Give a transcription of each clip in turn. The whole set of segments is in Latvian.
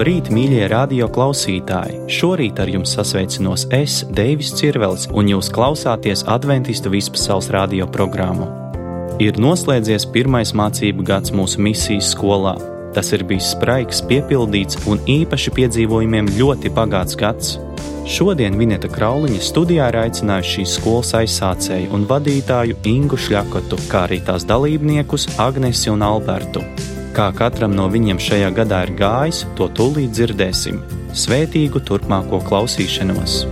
Labrīt, mīļie radio klausītāji! Šorīt ar jums sasveicinos es, Deivis Cirvelis, un jūs klausāties Adventistu vispasaules radio programmu. Ir noslēdzies pirmais mācību gads mūsu misijas skolā. Tas ir bijis spraigs, piepildīts un īpaši piedzīvojumiem ļoti bagāts gads. Šodien Vineta Krauliņa studijā ir aicinājusi šīs skolas aizsācēju un vadītāju Ingu Šļakotu, kā arī tās dalībniekus Agnesi un Albertu. Kā katram no viņiem šajā gadā ir gājis, to tūlīt dzirdēsim. Svētīgu turpmāko klausīšanos!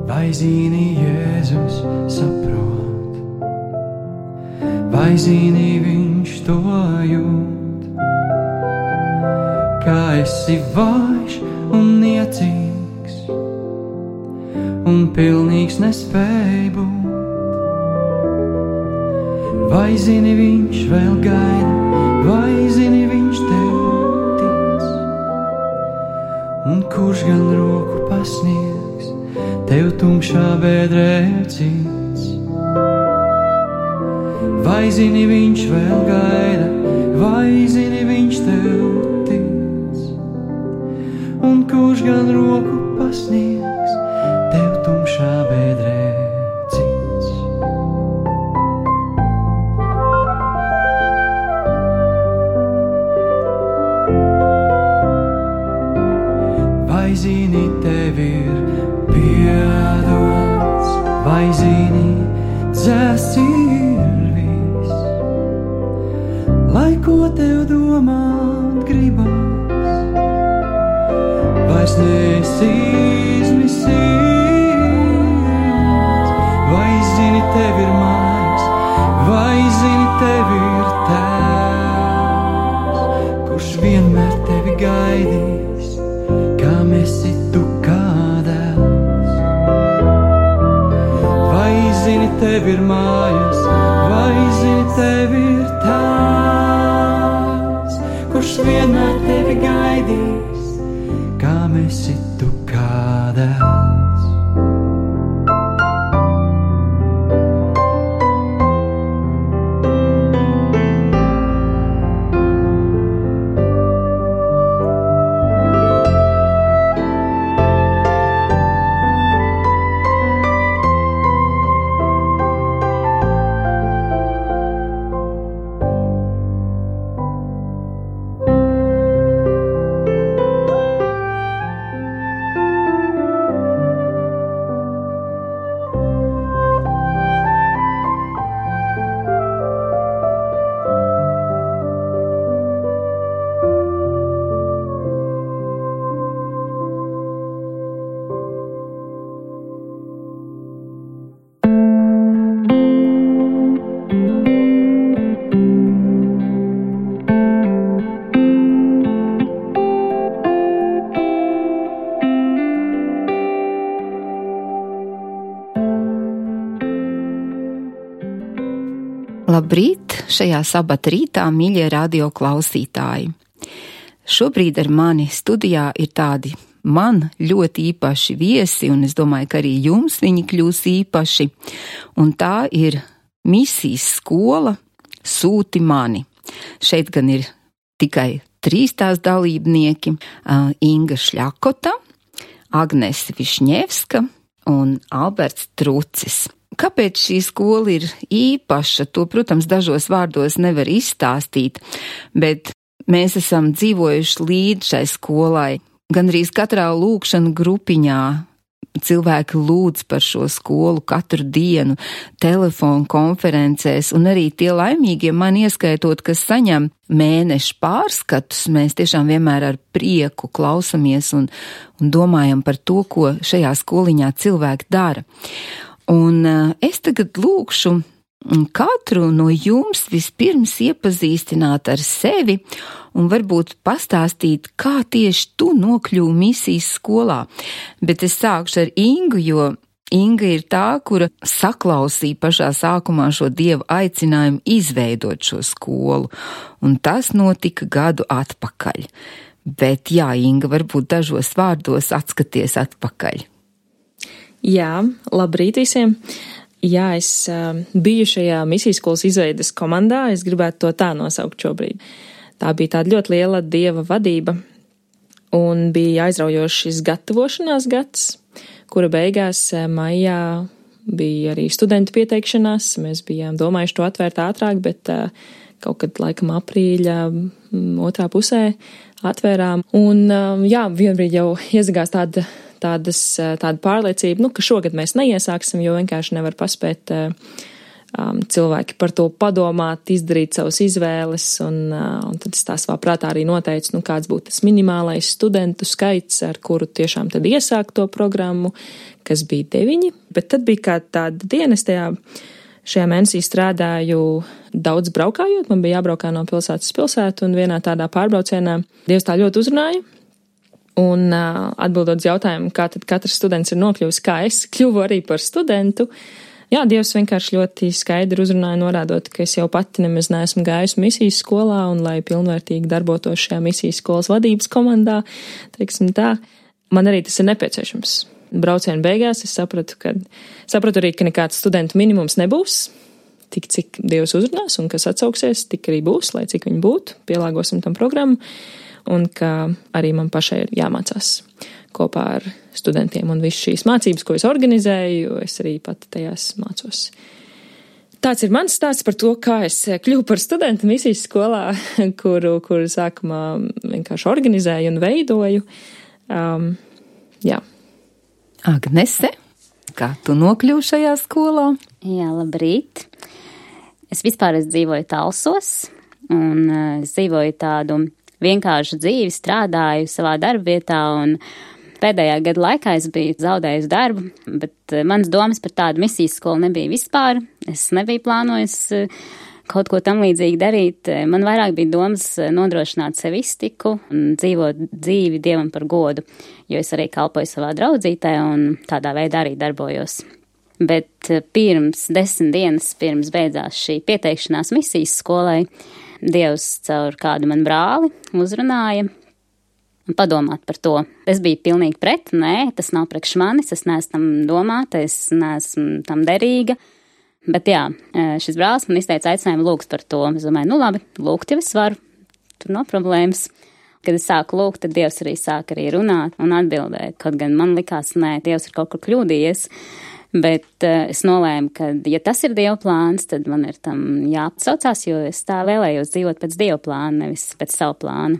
Vai zini, Jēzus saprot? Vai zini, viņš to jūt, kā esi vājš un niecīgs un pilnīgs nespēj būt? Vai zini, viņš vēl gaida, vai zini, viņš tev tic, un kurš gan roku pasniegs tev tumšā vēdrē cits? Vai zini, viņš vēl gaida, vai zini, viņš tev tic, un kurš gan roku pasniegs tev tumšā vēdrē cits? Vai zini, tev ir piedots, vai zini, dzēsts ir viss, lai ko tev domāt gribas, vairs neesi izmisīts. Vai zini, tev ir mājas, vai zini, tev ir tēvs, kurš vienmēr tevi gaidīs, kam esi tu kā dēls. Vai zini, tev ir mājas, vai zini, tev ir tēvs, kurš vienmēr tevi gaidīs, kam esi tu kā dēls. Labrīt, šajā sabata rītā, mīļie radio klausītāji. Šobrīd ar mani studijā ir tādi man ļoti īpaši viesi, un es domāju, ka arī jums viņi kļūs īpaši, un tā ir misijas skola Sūti mani. Šeit gan ir tikai 3 tās dalībnieki - Inga Šļakota, Agnese Višņevska un Alberts Trucis. Kāpēc šī skola ir īpaša, to, protams, dažos vārdos nevar izstāstīt, bet mēs esam dzīvojuši līdz šai skolai. Gandrīz katrā lūgšanu grupiņā cilvēki lūdz par šo skolu katru dienu, telefonu konferencēs, un arī tie laimīgie, man ieskaitot, kas saņem mēnešu pārskatus, mēs tiešām vienmēr ar prieku klausamies un domājam par to, ko šajā skoliņā cilvēki dara. Un es tagad lūkšu katru no jums vispirms iepazīstināt ar sevi un varbūt pastāstīt, kā tieši tu nokļuvi misijas skolā. Bet es sākšu ar Ingu, jo Inga ir tā, kura saklausīja pašā sākumā šo Dieva aicinājumu izveidot šo skolu, un tas notika gadu atpakaļ. Bet jā, Inga, varbūt dažos vārdos atskaties atpakaļ. Jā, labrīt visiem! Jā, es biju šajā misijas skolas izveides komandā, es gribētu to tā nosaukt šobrīd. Tā bija tāda ļoti liela Dieva vadība, un bija aizraujošs šis gatavošanās gads, kura beigās maijā bija arī studentu pieteikšanās. Mēs bijām domājuši to atvērt ātrāk, bet kaut kad laikam aprīļa otrā pusē atvērām. Un jā, vienbrīd jau iezagās tāda pārliecība, ka šogad mēs neiesāksim, jo vienkārši nevar paspēt cilvēki par to padomāt, izdarīt savas izvēles, un tad es tā savā prātā arī noteicu, kāds būtu tas minimālais studentu skaits, ar kuru tiešām tad iesākt to programmu, kas bija 9, bet tad bija kā tāda diena, es šajā mēnesī strādāju daudz braukājot, man bija jābraukā no pilsētas uz pilsētu, un vienā tādā pārbraucienā Dievs tā ļoti uzrunāja, un atbildot uz jautājumu, kā tad katrs students ir nokļuvis, kā es kļuvu arī par studentu. Jā, Dievs vienkārši ļoti skaidri uzrunāja, norādot, ka es jau pati nemaz neesmu gājusi misijas skolā, un lai pilnvērtīgi darbotos šajā misijas skolas vadības komandā, teiksim tā, man arī tas ir nepieciešams. Brauciena beigās es sapratu arī, ka nekāds studentu minimums nebūs, tik cik Dievs uzrunās, un kas atsauksies, tik arī būs, lai cik viņi būtu, pielāgosim tam programmu, un ka arī man pašai ir jāmācās kopā ar studentiem un visu šīs mācības, ko es organizēju, jo es arī pati tajās mācos. Tāds ir mans stāsts par to, kā es kļuvu par studentu misijas skolā, kuru sākumā vienkārši organizēju un veidoju. Jā. Agnese, kā tu nokļuvi šajā skolā? Jā, labrīt. Es vispār dzīvoju Talsos, un es dzīvoju tādu vienkāršu dzīvi, strādāju savā darbvietā, un pēdējā gada laikā es biju zaudējusi darbu, bet manas domas par tādu misijas skolu nebija vispār. Es nebiju plānojis kaut ko tam līdzīgi darīt. Man vairāk bija domas nodrošināt sev iztiku un dzīvot dzīvi Dievam par godu, jo es arī kalpoju savā draudzītē un tādā veidā arī darbojos. Bet pirms 10 dienas, pirms beidzās šī pieteikšanās misijas skolai, Dievs caur kādu man brāli uzrunāja padomāt par to. Es biju pilnīgi pret, nē, tas nav priekš manis, es neesmu tam domāta, es neesmu tam derīga. Bet jā, šis brālis man izteica aicinājumu lūgt par to. Es domāju, labi, lūgt jau es varu, tur nav problēmas. Kad es sāku lūgt, tad Dievs arī sāka arī runāt un atbildēt. Kaut gan man likās, nē, Dievs ir kaut kur kļūdījies. Bet es nolēmu, ka, ja tas ir Dieva plāns, tad man ir tam jāatsaucās, jo es tā vēlējos dzīvot pēc Dieva plāna, nevis pēc savu plānu.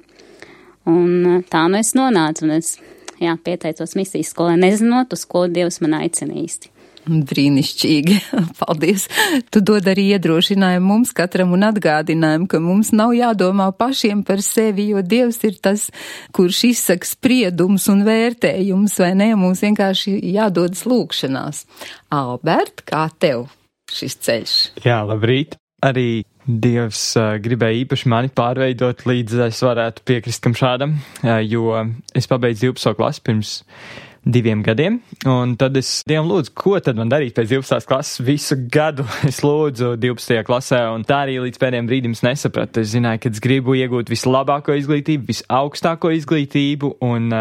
Un tā nu es nonācu, un es pieteicos misijas skolai, nezinot, uz ko Dievs man aicina īsti. Brīnišķīgi, paldies. Tu dod arī iedrošinājumu mums katram un atgādinājumu, ka mums nav jādomā pašiem par sevi, jo Dievs ir tas, kurš izsaka spriedumus un vērtējumus, vai ne? Mums vienkārši jādodas lūkšanās. Albert, kā tev šis ceļš? Jā, labrīt. Arī Dievs gribēja īpaši mani pārveidot, līdz es varētu piekrist kam šādam, jo es pabeidzu 12. klasi pirms 2 gadiem, un tad es Dievam lūdzu, ko tad man darīt pēc 12. klases visu gadu. Es lūdzu 12. klasē, un tā arī līdz pēdējiem brīdim es nesapratu. Es zināju, ka es gribu iegūt vislabāko izglītību, visaugstāko izglītību, un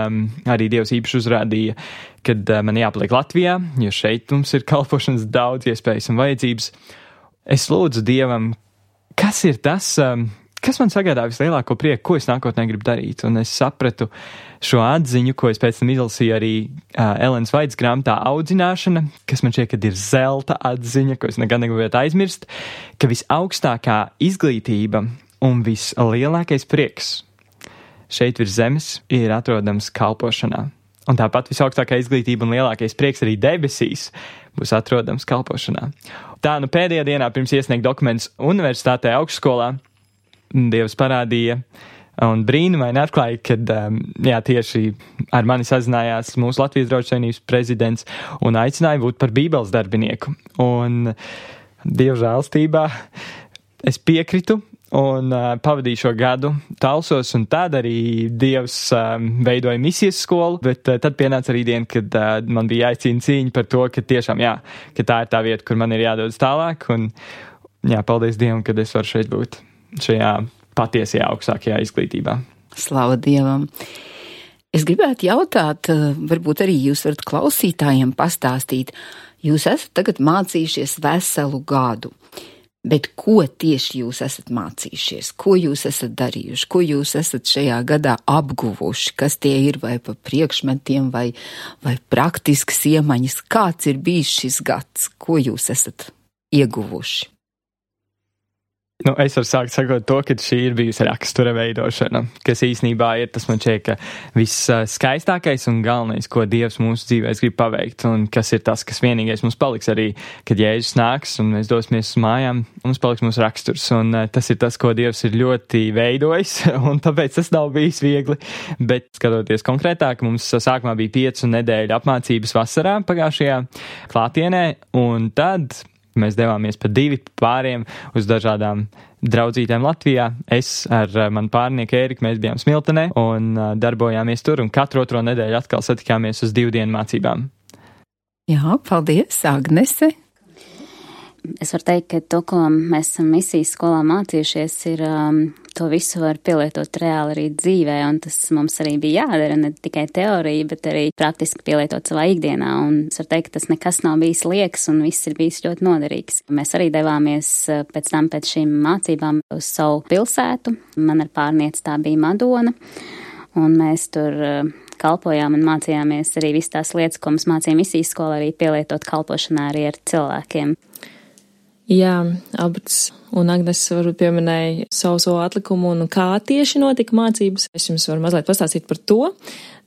arī Dievs īpaši uzrādīja, kad man jāpaliek Latvijā, jo šeit mums ir kalpošanas daudz iespējas un vajadzības. Es lūdzu Dievam, kas ir tas, kas man sagādā vislielāko prieku, ko es nākotnē gribu darīt, un es sapratu šo atziņu, ko es pēc tam izlasīju arī Elenas Vaidas grāmatā Audzināšana, kas man šķiet, kad ir zelta atziņa, ko es nekad negribētu aizmirst, ka visaugstākā izglītība un vislielākais prieks šeit virs zemes ir atrodams kalpošanā. Un tāpat visaugstākā izglītība un lielākais prieks arī debesīs būs atrodams kalpošanā. Tā nu pēdējā dienā pirms iesniegt dokumentus universitātē augšskolā Dievs parādīja un brīnumaini atklāja, kad tieši ar mani sazinājās mūsu Latvijas Draugu savienības prezidents un aicināja būt par bībeles darbinieku. Un Dieva žēlstībā es piekritu un pavadīju šo gadu Talsos, un tad arī Dievs veidoja misijas skolu, bet tad pienāca arī diena, kad man bija jāicīna cīņa par to, ka tiešām, jā, ka tā ir tā vieta, kur man ir jādodas tālāk, un jā, paldies Dievam, kad es varu šeit būt, šajā patiesajā augstākajā izglītībā. Slava Dievam! Es gribētu jautāt, varbūt arī jūs varat klausītājiem pastāstīt, jūs esat tagad mācījušies veselu gadu, bet ko tieši jūs esat mācījušies, ko jūs esat darījuši, ko jūs esat šajā gadā apguvuši, kas tie ir vai pa priekšmetiem vai praktiskas iemaņas, kāds ir bijis šis gads, ko jūs esat ieguvuši? Nu, es varu sākt sakot to, ka šī ir bijusi rakstura veidošana, kas īsnībā ir tas, man šķiet, ka viss skaistākais un galvenais, ko Dievs mūsu dzīvēs grib paveikt, un kas ir tas, kas vienīgais mums paliks arī, kad Jēzus nāks un mēs dosimies uz mājām, mums paliks mūsu raksturs, un tas ir tas, ko Dievs ir ļoti veidojis, un tāpēc tas nav bijis viegli, bet skatoties konkrētāk, mums sākumā bija 5 nedēļu apmācības vasarā pagājušajā klātienē, un tad mēs devāmies pa 2 pāriem uz dažādām draudzītēm Latvijā. Es ar manu pārnieku Ēriku, mēs bijām Smiltenē un darbojāmies tur, un katru otro nedēļu atkal satikāmies uz 2 dienu mācībām. Jā, paldies, Agnese! Es varu teikt, ka to, ko mēs esam misijas skolā mācījušies, ir to visu var pielietot reāli arī dzīvē, un tas mums arī bija jādara, ne tikai teorija, bet arī praktiski pielietot savā ikdienā, un es varu teikt, ka tas nekas nav bijis liekas, un viss ir bijis ļoti noderīgs. Mēs arī devāmies pēc šīm mācībām uz savu pilsētu, man ar pārnieci tā bija Madona, un mēs tur kalpojām un mācījāmies arī visas tās lietas, ko mums mācīja misijas skolā, arī pielietot kalpošanā arī ar cilvēkiem. Jā, Alberts un Agnes varbūt pieminēja savu atlikumu un kā tieši notika mācības. Es jums varu mazliet pastāstīt par to,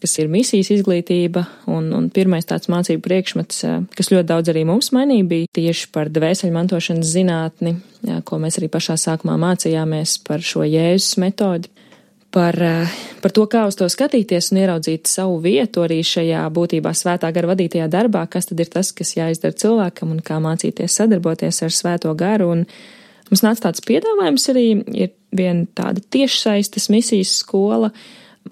kas ir misijas izglītība, un pirmais tāds mācību priekšmets, kas ļoti daudz arī mums mainīja, bija tieši par dvēseļu mantošanas zinātni, jā, ko mēs arī pašā sākumā mācījāmies par šo Jēzus metodi. Par to, kā uz to skatīties un ieraudzīt savu vietu arī šajā būtībā svētā gara vadītajā darbā, kas tad ir tas, kas jāizdara cilvēkam un kā mācīties sadarboties ar svēto garu. Un mums nāca tāds piedāvājums arī, ir viena tāda tiešsaistes misijas skola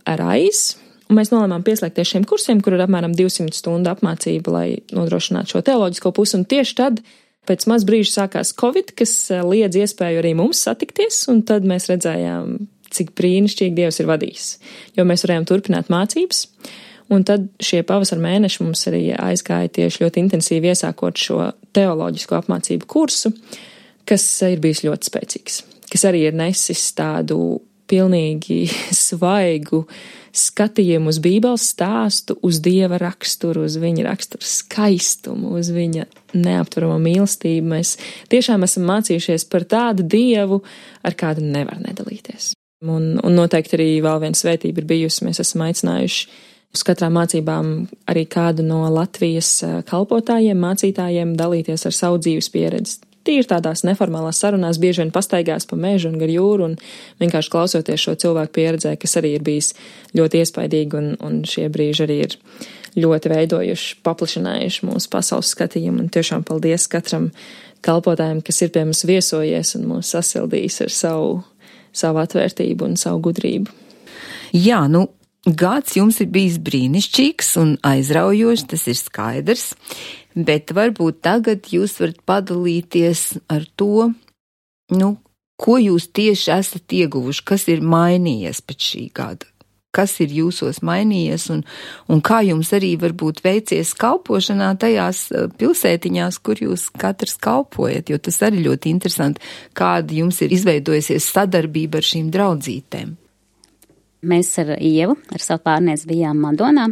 ar AIS, un mēs nolēmām pieslēgties šiem kursiem, kur ir apmēram 200 stundu apmācība, lai nodrošinātu šo teoloģisko pusi, un tieši tad pēc maz brīža sākās Covid, kas liedz iespēju arī mums satikties, un tad mēs redzējām, cik brīnišķīgi Dievs ir vadījis, jo mēs varējām turpināt mācības, un tad šie pavasara mēneši mums arī aizgāja tieši ļoti intensīvi iesākot šo teoloģisko apmācību kursu, kas ir bijis ļoti spēcīgs, kas arī ir nesis tādu pilnīgi svaigu skatījumu uz Bībeles stāstu, uz Dieva raksturu, uz viņa rakstura skaistumu, uz viņa neaptveramo mīlestību. Mēs tiešām esam mācījušies par tādu Dievu, ar kādu nevar nedalīties. Un noteikti arī vēl viena svētība ir bijusi. Mēs esam aicinājuši uz katrām mācībām arī kādu no Latvijas kalpotājiem, mācītājiem dalīties ar savu dzīves pieredzi. Tīri tādās neformālās sarunās bieži vien pastaigās pa mežu un gar jūru un vienkārši klausoties šo cilvēku pieredzē, kas arī ir bijis ļoti iespaidīgi un šie brīži arī ir ļoti veidojuši, paplašinājuši mūsu pasaules skatījumu. Un tiešām paldies katram kalpotājiem, kas ir pie mums viesojies un mūs sasildījis ar savu atvērtību un savu gudrību. Jā, gads jums ir bijis brīnišķīgs un aizraujošs, tas ir skaidrs, bet varbūt tagad jūs varat padalīties ar to, ko jūs tieši esat ieguvuši, kas ir mainījies pēc šī gada, kas ir jūsos mainījies un kā jums arī varbūt veicies kalpošanā tajās pilsētiņās, kur jūs katrs kalpojat, jo tas arī ļoti interesanti, kāda jums ir izveidojusies sadarbība ar šīm draudzītēm. Mēs ar Ievu, ar savu pārnieci bijām Madonā,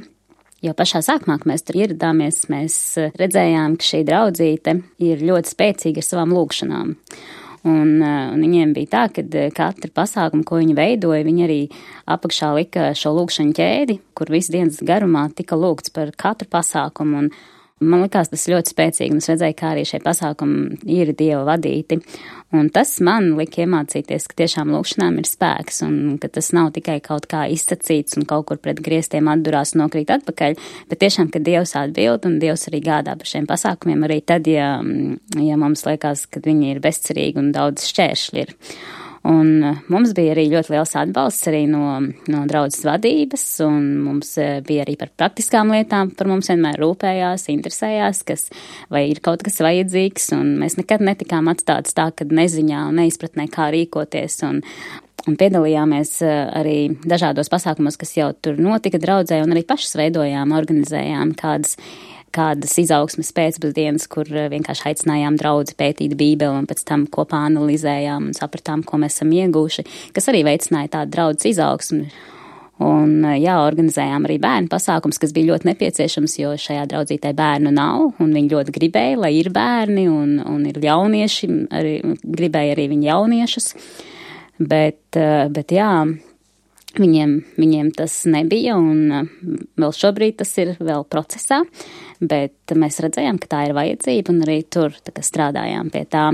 jo pašā sākumā, kad mēs tur ieradāmies, mēs redzējām, ka šī draudzīte ir ļoti spēcīga ar savām lūgšanām. Un viņiem bija tā, ka katru pasākumu, ko viņi veidoja, viņi arī apakšā lika šo lūgšanu ķēdi, kur visu dienas garumā tika lūgts par katru pasākumu. Un man likās tas ļoti spēcīgi, un es redzēju, kā arī šie pasākumi ir Dieva vadīti. Un tas man lika iemācīties, ka tiešām lūgšanām ir spēks, un ka tas nav tikai kaut kā izsacīts un kaut kur pret griestiem atdurās un nokrīt atpakaļ, bet tiešām, ka Dievs atbild un Dievs arī gādā par šiem pasākumiem, arī tad, ja mums liekas, ka viņi ir bezcerīgi un daudz šķēršļi ir. Un mums bija arī ļoti liels atbalsts arī no draudzes vadības, un mums bija arī par praktiskām lietām, par mums vienmēr rūpējās, interesējās, vai ir kaut kas vajadzīgs, un mēs nekad netikām atstātas tā, kad neziņā un neizpratnē, kā rīkoties, un piedalījāmies arī dažādos pasākumos, kas jau tur notika draudzē, un arī pašas veidojām, organizējām kādas izaugsmes pēcpusdienas, kur vienkārši aicinājām draudzi pētīt Bībeli un pēc tam kopā analizējām un sapratām, ko mēs esam ieguvuši, kas arī veicināja tādu draudzes izaugsmi. Un, organizējām arī bērnu pasākums, kas bija ļoti nepieciešams, jo šajā draudzītē bērnu nav, un viņi ļoti gribēja, lai ir bērni un ir jaunieši, gribēja arī viņi jauniešus, bet viņiem tas nebija, un vēl šobrīd tas ir vēl procesā, bet mēs redzējām, ka tā ir vajadzība, un arī tur strādājām pie tā.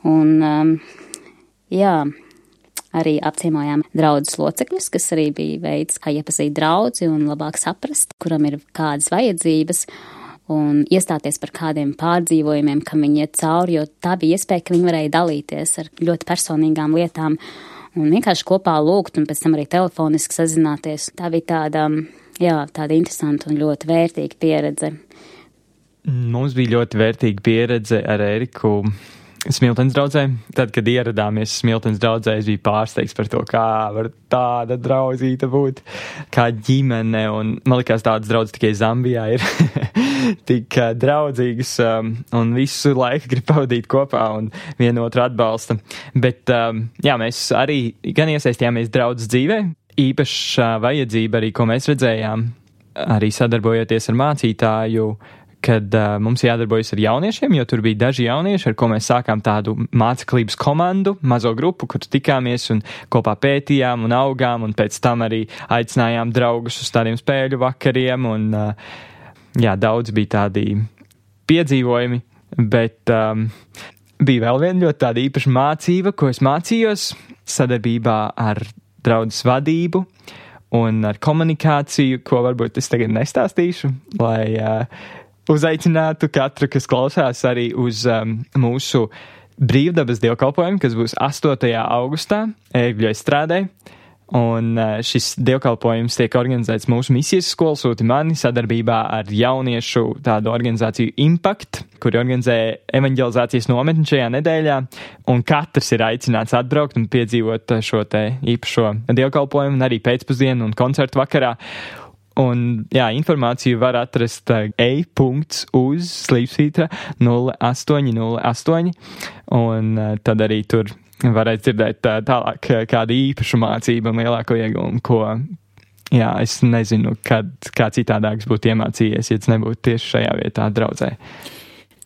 Un, arī apciemojām draudzes locekļus, kas arī bija veids, kā iepazīt draudzi un labāk saprast, kuram ir kādas vajadzības, un iestāties par kādiem pārdzīvojumiem, kam viņi iet cauri, jo tā bija iespēja, ka viņi varēja dalīties ar ļoti personīgām lietām, un vienkārši kopā lūgt, un pēc tam arī telefoniski sazināties. Tā bija tāda interesanta un ļoti vērtīga pieredze. Mums bija ļoti vērtīga pieredze ar Eriku Smiltenes draudzē. Tad, kad ieradāmies Smiltenes draudzē, es biju pārsteigts par to, kā var tāda draudzīta būt, kā ģimene, un man likās tādas draudzes tikai Zambijā ir tik draudzīgas un visu laiku grib pavadīt kopā un vienotru atbalsta. Bet, mēs arī gan iesaistījāmies draudzes dzīvē, īpaša vajadzība arī, ko mēs redzējām, arī sadarbojoties ar mācītāju, kad mums jādarbojas ar jauniešiem, jo tur bija daži jaunieši, ar ko mēs sākām tādu māceklības komandu, mazo grupu, kur tikāmies un kopā pētījām un augām, un pēc tam arī aicinājām draugus uz tādiem spēļu vakariem, un daudz bija tādi piedzīvojumi, bet bija vēl viena ļoti tāda īpaša mācība, ko es mācījos sadarbībā ar draudzes vadību un ar komunikāciju, ko varbūt es tagad nestāstīšu, lai uzaicinātu katru, kas klausās arī uz mūsu brīvdabas dievkalpojumu, kas būs 8. augustā Ērgļu estrādē. Un šis dievkalpojums tiek organizēts mūsu misijas skolas Sūti mani sadarbībā ar jauniešu tādu organizāciju Impact, kuri organizē evaņģelizācijas nometni šajā nedēļā, un katrs ir aicināts atbraukt un piedzīvot šo te īpašo dievkalpojumu, un arī pēcpusdienu un koncertu vakarā. Un, informāciju var atrast e.uz/0808, un tad arī tur varēs dzirdēt tālāk kādu īpašu mācību un lielāko ieguvumu, ko, es nezinu, kā citādāks būtu iemācījies, ja tas nebūtu tieši šajā vietā draudzē.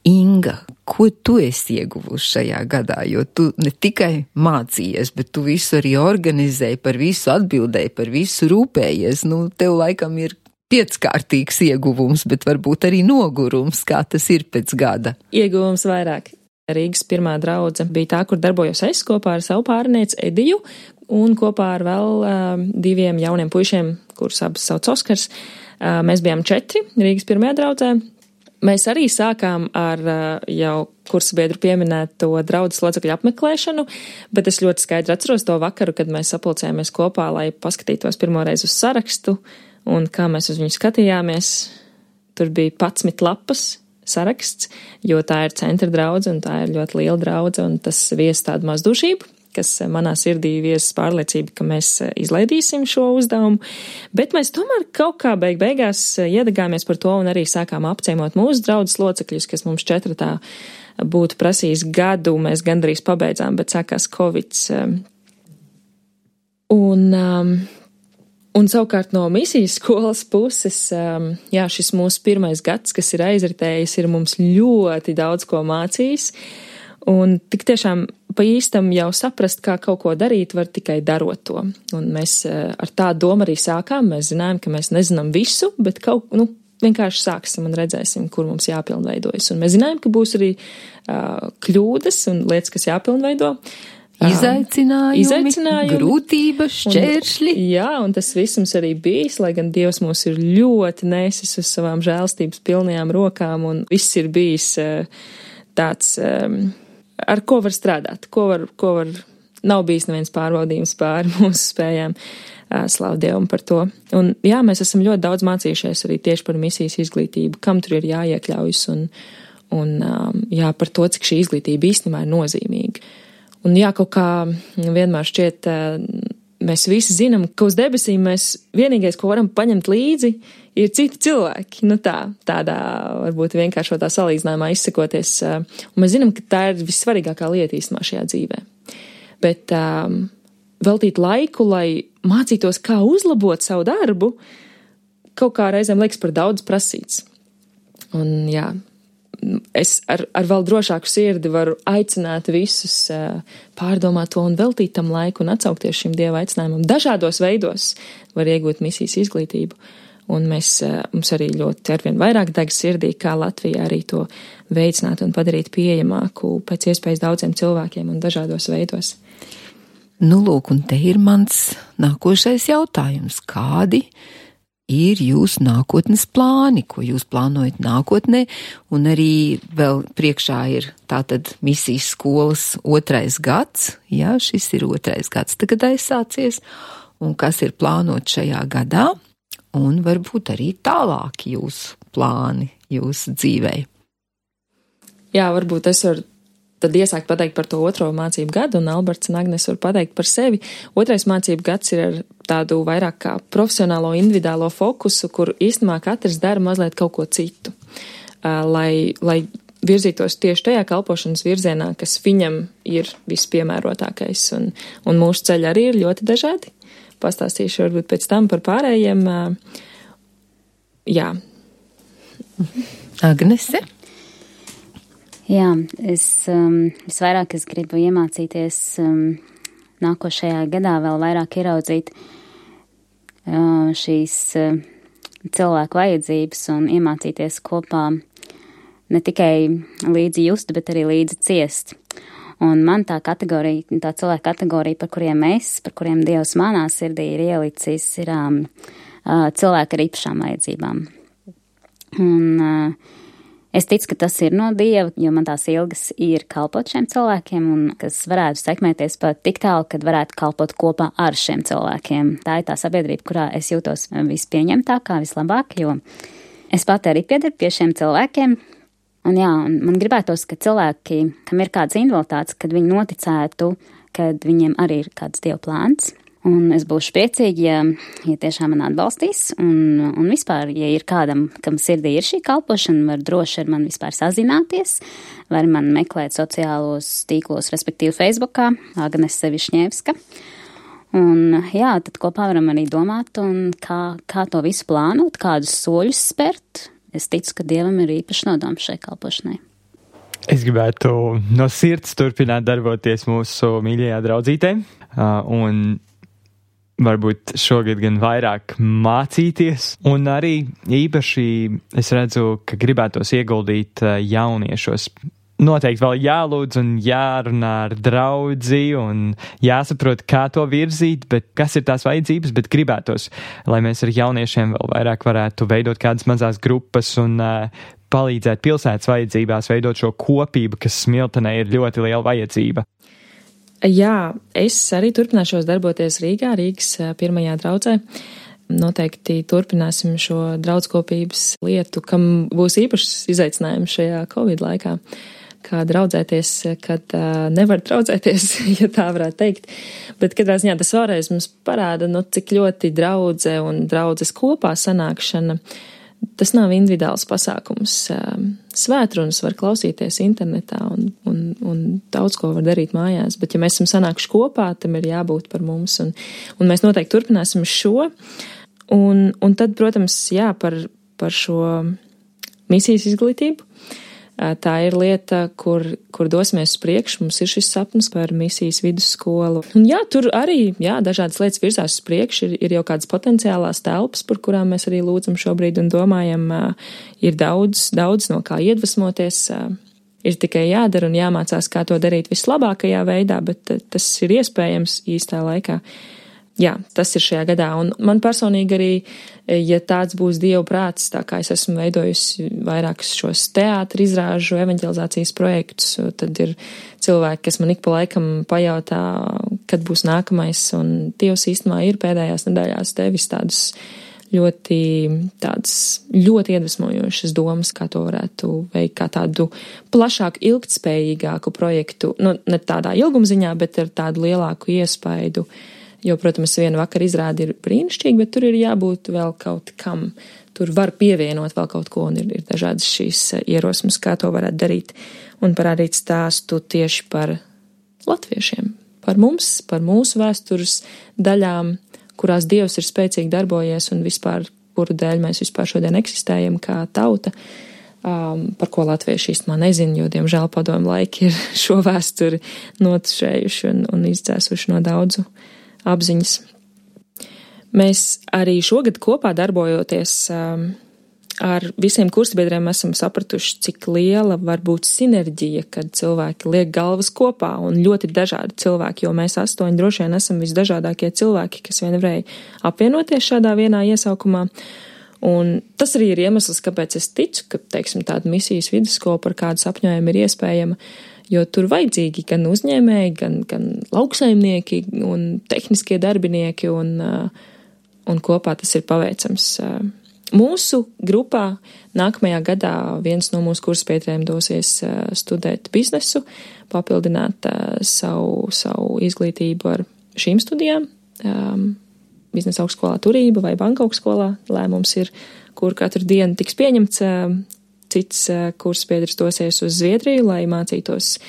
Inga, ko tu esi ieguvusi šajā gadā, jo tu ne tikai mācījies, bet tu visu arī organizēji, par visu atbildēji, par visu rūpējies, tev laikam ir 5-kārtīgs ieguvums, bet varbūt arī nogurums, kā tas ir pēc gada. Ieguvums vairāk. Rīgas pirmā draudze bija tā, kur darbojos es kopā ar savu pārnieci Ediju un kopā ar vēl 2 jauniem puišiem, kurus abas sauc Oskars. Mēs bijām 4 Rīgas pirmajā draudzē. Mēs arī sākām ar jau kursabiedru pieminēto draudzes locekļu apmeklēšanu, bet es ļoti skaidri atceros to vakaru, kad mēs sapulcējāmies kopā, lai paskatītos pirmoreiz uz sarakstu, un kā mēs uz viņu skatījāmies. Tur bija 11 lapas saraksts, jo tā ir centra draudze, un tā ir ļoti liela draudze, un tas vies tādu mazdušību, kas manā sirdī viesas pārliecība, ka mēs izlaidīsim šo uzdevumu, bet mēs tomēr kaut kā beigās iedegāmies par to un arī sākām apciemot mūsu draudzes locekļus, kas mums 4 būtu prasījis gadu, mēs gandrīz pabeidzām, bet sākās Covids. Un savukārt no misijas skolas puses, šis mūsu pirmais gads, kas ir aizritējis, ir mums ļoti daudz ko mācījis. Un tik tiešām pa īstam jau saprast, kā kaut ko darīt, var tikai darot to. Un mēs ar tādu domu arī sākām. Mēs zinājām, ka mēs nezinām visu, bet vienkārši sāksim un redzēsim, kur mums jāpilnveidojas. Un mēs zinājām, ka būs arī kļūdas un lietas, kas jāpilnveido. Izaicinājumi, grūtības, šķēršļi. Jā, un tas viss mums arī bijis, lai gan Dievs mūs ir ļoti nesis uz savām žēlstības pilnajām rokām, un viss ir bijis tāds, ar ko var strādāt, ko var nav bijis neviens pārbaudījums pāri mūsu spējām. Slavu Dievam par to. Un jā, mēs esam ļoti daudz mācījušies arī tieši par misijas izglītību, kam tur ir jāiekļaujas un jā, par to, cik šī izglītība īstenībā ir nozīmīga. Un jā, kaut kā vienmēr šķiet, mēs visi zinām, ka uz debesīm mēs vienīgais, ko varam paņemt līdzi, ir citi cilvēki. Nu tādā varbūt vienkāršotā salīdzinājumā izsakoties. Un mēs zinām, ka tā ir vissvarīgākā lieta īstenībā šajā dzīvē. Bet veltīt laiku, lai mācītos, kā uzlabot savu darbu, kaut kā reizēm liekas par daudz prasīts. Un jā, es ar vēl drošāku sirdi varu aicināt visus pārdomāt to un veltīt tam laiku un atsaukties šim Dieva aicinājumam. Dažādos veidos var iegūt misijas izglītību. Un mums arī ļoti arvien vairāk deg sirdī, kā Latvijā arī to veicināt un padarīt pieejamāku pēc iespējas daudziem cilvēkiem un dažādos veidos. Nu, lūk, un te ir mans nākošais jautājums. Kādi ir jūsu nākotnes plāni, ko jūs plānojat nākotnē? Un arī vēl priekšā ir tātad misijas skolas 2. gads. Jā, šis ir 2. gads tagad aizsācies. Un kas ir plānot šajā gadā? Un varbūt arī tālāk jūsu plāni jūsu dzīvē. Jā, varbūt es varu tad iesākt pateikt par to 2. mācību gadu, un Alberts un Agnes var pateikt par sevi. 2. mācību gads ir ar tādu vairāk kā profesionālo, individuālo fokusu, kur īstenībā katrs dara mazliet kaut ko citu, lai virzītos tieši tajā kalpošanas virzienā, kas viņam ir vispiemērotākais, un mūsu ceļi arī ir ļoti dažādi. Pastāstīšu varbūt pēc tam par pārējiem. Jā. Agnese? Jā, visvairāk es gribu iemācīties nākošajā gadā vēl vairāk ieraudzīt šīs cilvēku vajadzības un iemācīties kopā ne tikai līdzi just, bet arī līdzi ciest. Un man tā kategorija, tā cilvēka kategorija, par kuriem Dievs manā sirdī ir ielicis, ir cilvēki ar īpašām vajadzībām. Un es ticu, ka tas ir no Dieva, jo man tās ilgas ir kalpot šiem cilvēkiem un kas varētu sekmēties pat tik tālu, kad varētu kalpot kopā ar šiem cilvēkiem. Tā ir tā sabiedrība, kurā es jūtos vispieņemtākā, vislabāk, jo es pati arī piedaru pie šiem cilvēkiem. Un jā, man gribētos, ka cilvēki, kam ir kādas invaliditātes, kad viņi noticētu, kad viņiem arī ir kāds Dieva plāns. Un es būšu priecīgi, ja tiešām man atbalstīs, un vispār, ja ir kādam, kam sirdī ir šī kalpošana, var droši ar mani vispār sazināties, var man meklēt sociālos tīklos, respektīvi Facebookā, Agnese Višņevska. Un jā, tad kopā varam arī domāt, un kā to visu plānot, kādus soļus spērt. Es ticu, ka Dievam ir īpaši nodoms šai kalpošanai. Es gribētu no sirds turpināt darboties mūsu mīļajā draudzītē, un varbūt šogad gan vairāk mācīties, un arī īpaši es redzu, ka gribētos ieguldīt jauniešos. Noteikti vēl jālūdz un jārunā ar draudzi un jāsaprot, kā to virzīt, bet kas ir tās vajadzības, bet gribētos, lai mēs ar jauniešiem vēl vairāk varētu veidot kādas mazās grupas un palīdzēt pilsētas vajadzībās, veidot šo kopību, kas Smiltenē ir ļoti liela vajadzība. Jā, es arī turpināšos darboties Rīgas 1. draudzē. Noteikti turpināsim šo draudskopības lietu, kam būs īpašs izaicinājums šajā Covid laikā. Kā draudzēties, kad nevar draudzēties, ja tā varētu teikt. Bet katrā ziņā tas vēlreiz mums parāda, cik ļoti draudze un draudzes kopā sanākšana. Tas nav individuāls pasākums. Svētrunas var klausīties internetā un daudz ko var darīt mājās, bet ja mēs esam sanākuši kopā, tam ir jābūt par mums, un mēs noteikti turpināsim šo. Un tad, protams, jā, par šo misijas izglītību. Tā ir lieta, kur dosimies uz priekšu. Mums ir šis sapnis par misijas vidusskolu. Un jā, tur arī, dažādas lietas virzās uz priekšu. Ir jau kādas potenciālās telpas, par kurām mēs arī lūdzam šobrīd un domājam. Ir daudz no kā iedvesmoties. Ir tikai jādara un jāmācās, kā to darīt vislabākajā veidā, bet tas ir iespējams īstā laikā. jā, tas ir šajā gadā. Un man personīgi arī, ja tāds būs Dieva prāts, tā kā es esmu veidojusi vairākus šos teātra izrāžu evanģelizācijas projektus, tad ir cilvēki, kas man ik pa laikam pajautā, kad būs nākamais, un Dievs īstenībā ir pēdējās nedēļās devis tādas ļoti iedvesmojošas domas, kā to varētu veikt, kā tādu plašāku, ilgtspējīgāku projektu, ne tādā ilgumziņā, bet ar tādu lielāku iespaidu. Jo, protams, viena vakara izrāde ir brīnišķīga, bet tur ir jābūt vēl kaut kam. Tur var pievienot vēl kaut ko, un ir dažādas šīs ierosmes, kā to varētu darīt, un parādīt stāstu tieši par latviešiem, par mums, par mūsu vēstures daļām, kurās Dievs ir spēcīgi darbojies un vispār, kuru dēļ mēs vispār šodien eksistējam kā tauta, par ko latvieši īstenībā nezin, jo, diemžēl, padomu laiki ir šo vēsturi notušējuši un izdzēsuši no daudzu apziņas. Mēs arī šogad kopā darbojoties ar visiem kursbiedriem esam sapratuši, cik liela var būt sinerģija, kad cilvēki liek galvas kopā, un ļoti dažādi cilvēki, jo mēs 8 droši vien esam visdažādākie cilvēki, kas vien varēja apvienoties šādā vienā iesaukumā. Un tas arī ir iemesls, kāpēc es ticu, ka, teiksim, tāda misijas vidusskola par kādu sapņojumu ir iespējama, jo tur vajadzīgi gan uzņēmēji, gan lauksaimnieki un tehniskie darbinieki, un kopā tas ir paveicams. Mūsu grupā nākamajā gadā viens no mūsu kursbiedriem dosies studēt biznesu, papildināt savu izglītību ar šīm studijām, biznesa augstskolā Turība vai banka augstskolā. Lēmums ir, kur katru dienu tiks pieņemts. Cits kursbiedrs dosies uz Zviedriju, lai mācītos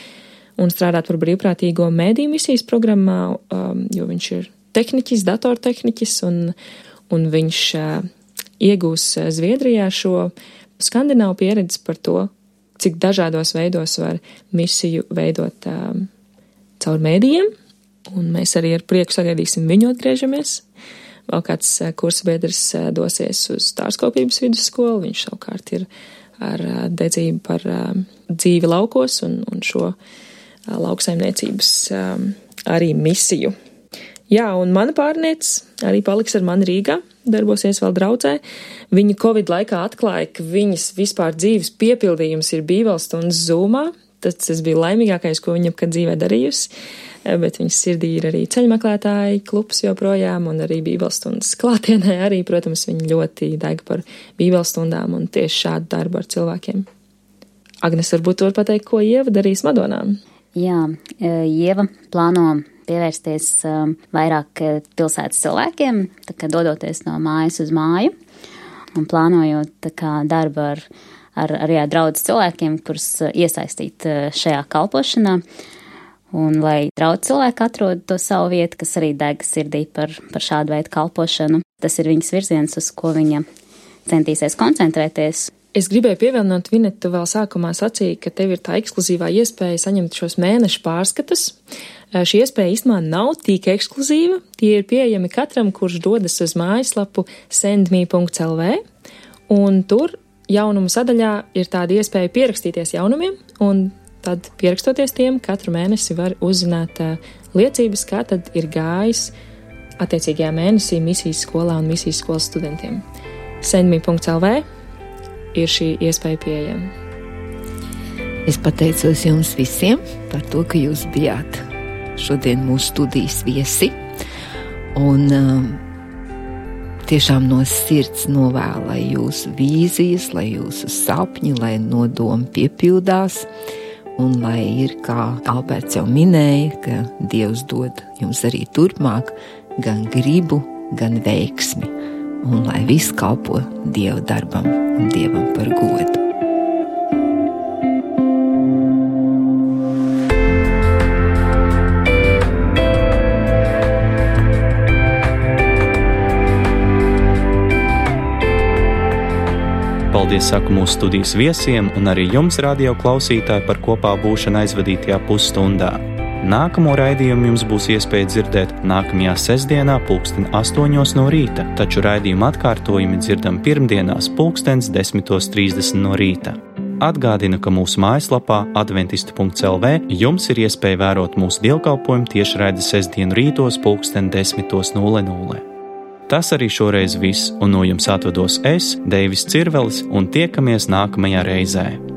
un strādāt par brīvprātīgo mēdīju misijas programmā, jo viņš ir tehniķis, datortehniķis, un viņš iegūs Zviedrijā šo skandināvu pieredzi par to, cik dažādos veidos var misiju veidot caur mēdījiem, un mēs arī ar prieku sagaidīsim viņu atgriežamies. Vēl kāds kursbiedrs dosies uz Tārskopības vidusskolu, viņš savukārt ir ar dedzību par dzīvi laukos un šo lauksaimniecības arī misiju. Jā, un mana pārniece arī paliks ar mani Rīgā, darbosies vēl draudzē. Viņa Covid laikā atklāja, ka viņas vispār dzīves piepildījums ir bībelstundas Zoomā. Tas bija laimīgākais, ko viņa jebkad dzīvē darījusi, bet viņas sirdī ir arī ceļmeklētāji klubs joprojām, un arī bībelstundas klātienē arī, protams, viņa ļoti deg par bībelstundām un tieši šādu darbu ar cilvēkiem. Agnes, varbūt var pateikt, ko Ieva darīs Madonā? Jā, Ieva plāno pievērsties vairāk pilsētas cilvēkiem, tā kā dodoties no mājas uz māju un plānojot tā kā darbu arī ar draudzes cilvēkiem, kurus iesaistīt šajā kalpošanā. Un lai draudzes cilvēki atrod to savu vietu, kas arī deg sirdī par šādu veidu kalpošanu. Tas ir viņas virziens, uz ko viņa centīsies koncentrēties. Es gribēju pievienot, Vineta vēl sākumā sacīja, ka tev ir tā ekskluzīvā iespēja saņemt šos mēnešu pārskatus. Šī iespēja īstenībā nav tik ekskluzīva. Tie ir pieejami katram, kurš dodas uz mājaslapu sendme.lv, un tur jaunumu sadaļā ir tāda iespēja pierakstīties jaunumiem, un tad pierakstoties tiem katru mēnesi var uzzināt liecības, kā tad ir gājis attiecīgajā mēnesī misijas skolā un misijas skolas studentiem. Sendme.lv ir šī iespēja pieejama. Es pateicos jums visiem par to, ka jūs bijāt šodien mūsu studijas viesi, un tiešām no sirds novēlu, lai jūsu vīzijas, lai jūsu sapņi, lai nodomi piepildās, un lai ir, kā Alberts jau minēja, ka Dievs dod jums arī turpmāk gan gribu, gan veiksmi, un lai viss kalpo Dieva darbam un Dievam par godu. Paldies saku mūsu studijas viesiem un arī jums, radio klausītāji, par kopā būšanu aizvadītajā pusstundā. Nākamo raidījumu jums būs iespēja dzirdēt nākamajā sestdienā 8:00 no rīta, taču raidījuma atkārtojumi dzirdam pirmdienās 10:30 no rīta. atgādinu, ka mūsu mājaslapā adventistu.lv jums ir iespēja vērot mūsu dievkalpojumu tiešraidi sestdienu rītos 10:00. Tas arī šoreiz viss, un no jums atvados es, Deivis Cirvelis, un tiekamies nākamajā reizē.